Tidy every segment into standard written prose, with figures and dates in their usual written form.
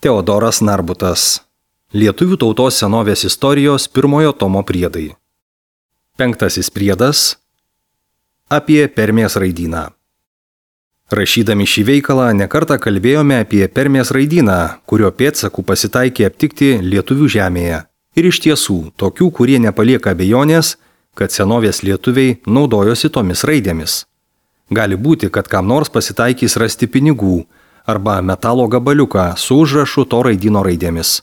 Teodoras Narbutas. Lietuvių tautos senovės istorijos 1 tomo priedai. 5 priedas apie Permės raidyną. Rašydami šį veikalą nekartą kalbėjome apie Permės raidyną, kurio pėdsakų pasitaikė aptikti lietuvių žemėje. Ir iš tiesų, tokių, kurie nepalieka abejonės, kad senovės lietuviai naudojosi tomis raidėmis. Gali būti, kad kam nors pasitaikys rasti pinigų arba metalo gabaliuką su užrašu to raidyno raidėmis.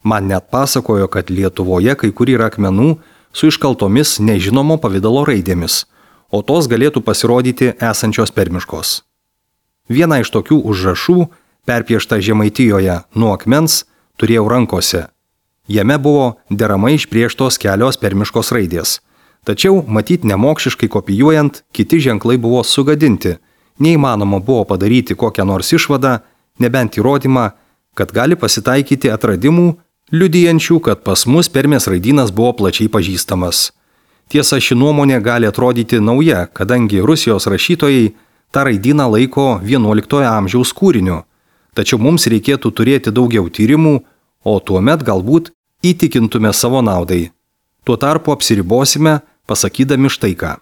Man net pasakojo, kad Lietuvoje kai kur yra akmenų su iškaltomis nežinomo pavydalo raidėmis, o tos galėtų pasirodyti esančios permiškos. Vieną iš tokių užrašų, perpiešta Žemaitijoje nuo akmens, turėjau rankose. Jame buvo deramai išprieštos kelios permiškos raidės. Tačiau, matyt nemokšiškai kopijuojant, kiti ženklai buvo sugadinti. Neįmanoma buvo padaryti kokią nors išvadą, nebent įrodymą, kad gali pasitaikyti atradimų, liudijančių, kad pas mus Permės raidynas buvo plačiai pažįstamas. Tiesa, ši nuomonė gali atrodyti nauja, kadangi Rusijos rašytojai tą raidyną laiko 11 amžiaus kūriniu. Tačiau mums reikėtų turėti daugiau tyrimų, o tuomet galbūt įtikintume savo naudai. Tuo tarpu apsiribosime, pasakydami štai ką.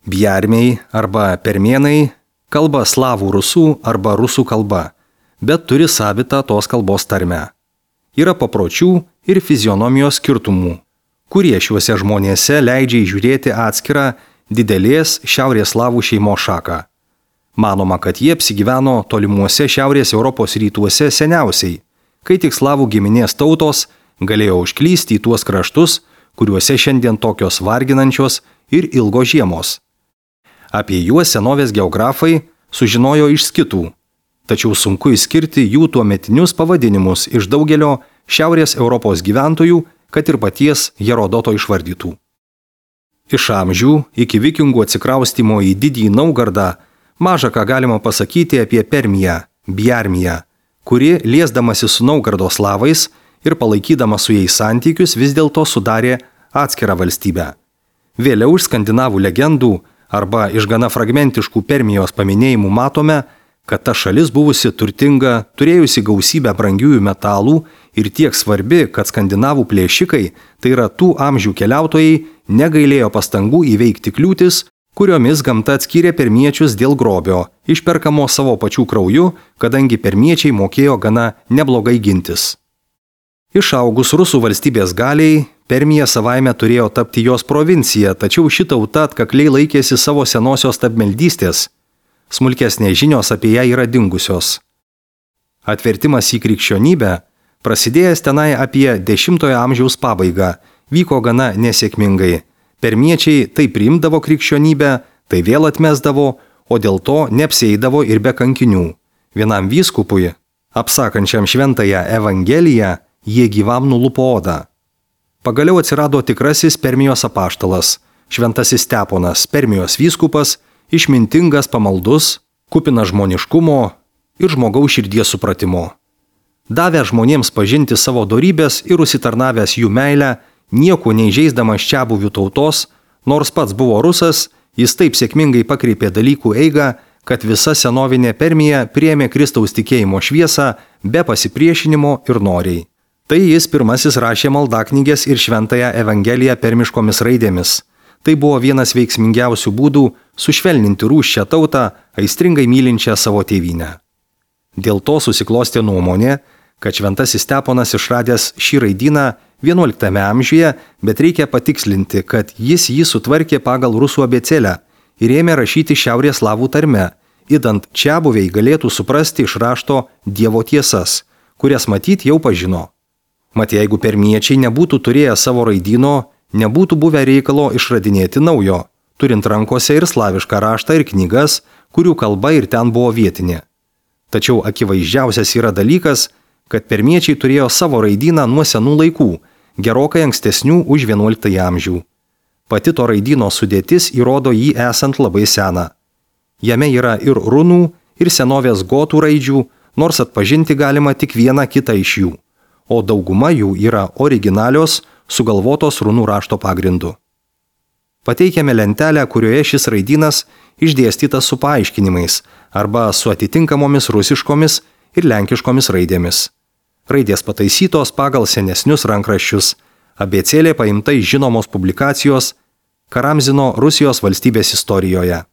Bjarmiai arba permėnai kalba slavų rusų arba rusų kalba, bet turi savitą tos kalbos tarmę. Yra papročių ir fizionomijos skirtumų, kurie šiuose žmonėse leidžia įžiūrėti atskirą didelės šiaurės slavų šeimos šaką. Manoma, kad jie apsigyveno tolimuose šiaurės Europos rytuose seniausiai, kai tik slavų giminės tautos galėjo užklysti į tuos kraštus, kuriuose šiandien tokios varginančios ir ilgos žiemos. Apie juos senovės geografai sužinojo iš skitų, tačiau sunku išskirti jų tuometinius pavadinimus iš daugelio šiaurės Europos gyventojų, kad ir paties Herodoto išvardytų. Iš amžių iki vikingų atsikraustymo į Didįjį Naugardą maža ką galima pasakyti apie Permiją, Bjarmiją, kuri liesdamasi su Naugardo slavais ir palaikydama su jais santykius vis dėlto sudarė atskirą valstybę. Vėliau iš skandinavų legendų arba iš gana fragmentiškų Permijos paminėjimų matome, kad ta šalis buvusi turtinga, turėjusi gausybę brangiųjų metalų ir tiek svarbi, kad skandinavų plėšikai, tai yra tų amžių keliautojai, negailėjo pastangų įveikti kliūtis, kuriomis gamta atskyrė permiečius dėl grobio, išperkamo savo pačių krauju, kadangi permiečiai mokėjo gana neblogai gintis. Išaugus rusų valstybės galiai, Permija savaime turėjo tapti jos provincija, tačiau ši tauta atkakliai laikėsi savo senosios stabmeldystės. Smulkesnės žinios apie ją yra dingusios. Atvertimas į krikščionybę, prasidėjęs tenai apie 10 amžiaus pabaigą, vyko gana nesėkmingai. Permiečiai tai priimdavo krikščionybę, tai vėl atmesdavo, o dėl to neapsieidavo ir be kankinių. Vienam vyskupui, apsakančiam šventąją Evangeliją, jie gyvam nulupo odą. Pagaliau atsirado tikrasis Permijos apaštalas, šventasis Steponas, Permijos vyskupas, išmintingas, pamaldus, kupinas žmoniškumo ir žmogaus širdies supratimo. Davęs žmonėms pažinti savo dorybės ir užsitarnavęs jų meilę, nieko neįžeisdamas čiabuvių tautos, nors pats buvo rusas, jis taip sėkmingai pakreipė dalykų eigą, kad visa senovinė Permija priėmė Kristaus tikėjimo šviesą be pasipriešinimo ir noriai. Tai jis pirmasis rašė maldaknygės ir šventąją Evangeliją permiškomis raidėmis. Tai buvo vienas veiksmingiausių būdų sušvelninti rūsčią tautą, aistringai mylinčią savo tėvynę. Dėl to susiklostė nuomonė, kad šventasis Steponas išradęs šį raidyną 11 amžiuje, bet reikia patikslinti, kad jis jį sutvarkė pagal rusų abėcėlę ir ėmė rašyti šiaurės slavų tarme, idant čiabuviai galėtų suprasti iš rašto Dievo tiesas, kurias matyt jau pažino. Mat jeigu permiečiai nebūtų turėję savo raidyno, nebūtų buvę reikalo išradinėti naujo, turint rankose ir slavišką raštą ir knygas, kurių kalba ir ten buvo vietinė. Tačiau akivaizdžiausias yra dalykas, kad permiečiai turėjo savo raidyną nuo senų laikų, gerokai ankstesnių už 11 amžių. Pati to raidyno sudėtis įrodo jį esant labai seną. Jame yra ir runų, ir senovės gotų raidžių, nors atpažinti galima tik vieną kitą iš jų, o dauguma jų yra originalios, sugalvotos runų rašto pagrindu. Pateikiame lentelę, kurioje šis raidynas išdėstytas su paaiškinimais arba su atitinkamomis rusiškomis ir lenkiškomis raidėmis. Raidės pataisytos pagal senesnius rankraščius, abėcėlė paimta iš žinomos publikacijos Karamzino Rusijos valstybės istorijoje.